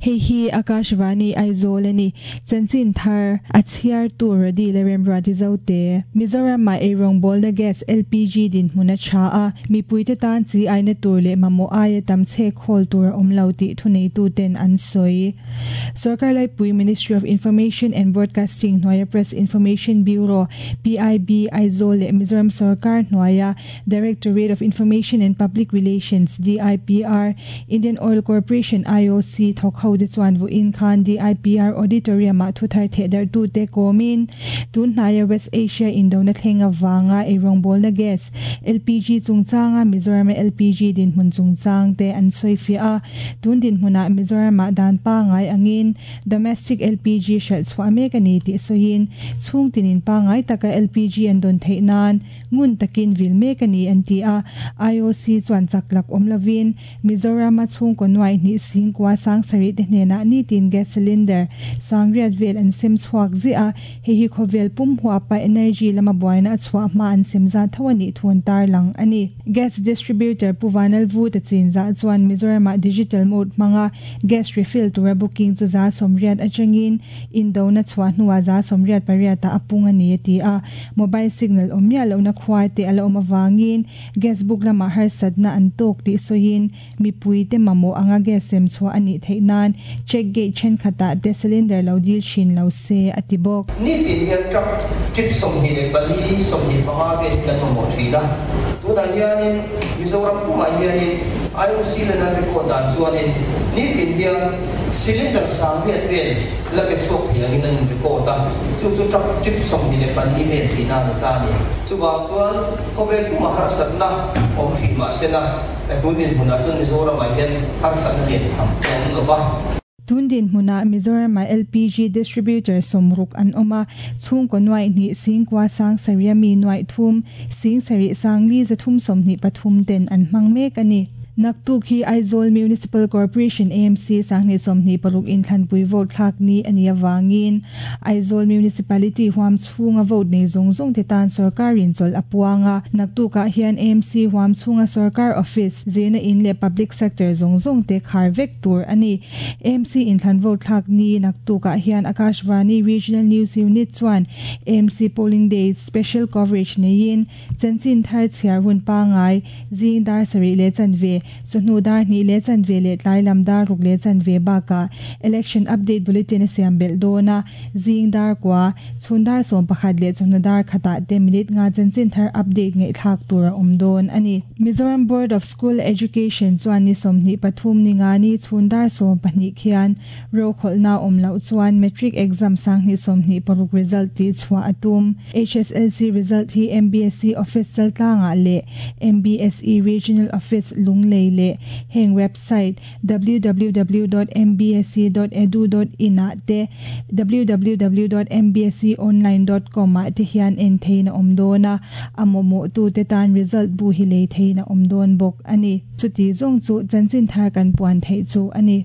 Hei hi Akashvani Aizawl a ni. Chanchin thar a chhiartu Rody leh Remruati Zote. Mizoram-ah eirawngbawlna gas, LPG, dinhmun a tha a, mipuite tan chi aina tur leh mamawh aia tam chhek khawl tur a awm lo tih thuneituten an sawi. Sorkar Laipui Ministry of Information and Broadcasting hnuaia Press Information Bureau, PIB, Aizawl leh Mizoram sorkar hnuaia Directorate of Information and Public Relations, DIPR, Indian Oil Corporation, IOC, thawk ho te chuan vawiin khan DIPR Auditorium-ah thu thar theh darhtute kawmin tun hnaia West Asia indona thleng avanga eirawngbawlna gas, LPG, chungchanga Mizorama LPG dinhmun chungchang te an sawifiah a. Tun dinhmunah Mizoramah dan pangngai angin Domestic LPG hralh chhuah mek a ni tih sawiin chhungtinin pangngai taka LPG an dawn theih nan Ngun takin vil mek a ni an ti a, IOC chuan chak lak awm lovin Mizorama chhungkaw nuai hnih singkua sangsarih te hnenah nitin gas cylinder sangriat vel an sem chhuak ziah a, hei hi khawvel pum huapa energy lama buaina a chhuah hma an sem zat tho a nih thu an tarlang a ni. Gas distributor Pu Vanlalvu ta chin zah chuan Mizoramah digital mode hmanga gas refill tura booking chu 80% atangin Indona chhuah hnuah 98% ah a pung a ni a ti a. Mobile signal awm miah lohna khua te a la awm avangin gas book lamah harsatna an tawk tih sawiin mipuite mamawh anga gas sem chhuah a nih theih nan check gate thenkhatah te cylinder lo dil thin lo se a ti bawk. Nitin hian truck trip 24, 25 vel hi kan mamawh thin a. Tunah hianin Mizoram pumah hianin IOC lena record dan chuanin nitin hian Cylinder 8000 vel la pe chhuak thei angin an in-record a, chu chu truck trip 24 vel tihna a ni ta a ni. Chuvang chuan khawvel pumah harsatna awm hrih mah sela, tun dinhmunah chuan Mizoramah hian harsatna lian tham a awm lo va. Tun dinhmunah Mizoramah LPG distributor 60 an awm a, chhungkaw nuaih hnih singkua sang sarih ami nuaih thum, 70 sangli 323 ten an hmang mek a ni. Naktuk hi Aizawl Municipal Corporation, AMC, 2026 inthlanpui vote thlak ni a nih avangin Aizawl Municipality huam chhunga vote nei zawng zawng te tan sorkarin chawlh a puang a. Naktukah hian AMC huam chhunga sorkar office, zirna in leh public sector zawng zawng te khar vek tur a ni. AMC inthlan vote thlak ni naktukah hian Akashvani Regional News Unit chuan AMC Polling Day special coverage neiin chanchin thar chhiar hun pangngai zing dar sarih leh chanve, chawhnu dar hnih leh chanve leh tlai lam dar ruk leh chanve bakah Election Update Bulletin a siam belh dawn a, zing dar kua, chhun dar 11 leh chawhnu dar khatah te minute nga chanchin thar update ngaihthlak tur a awm dawn a ni. Mizoram Board of School Education chuan ni 23 ni nga ni chhun dar 12 khian Rokhawlhna awm loh chuan Matric exam 2026 result tih chhuah a tum. HSLC result hi MBSE Office Chaltlangah leh MBSE Regional Office Lunglei leh heng website www dot mbse dot edu dot in ah te www dot mbseonline dot com ah te hian en theiin a awm dawn a, a mawhmawhtute tan result bu hi lei theiin a awm dawn bawk a ni. Chuti zawng chu chanchin thar kan puan theih chu a ni.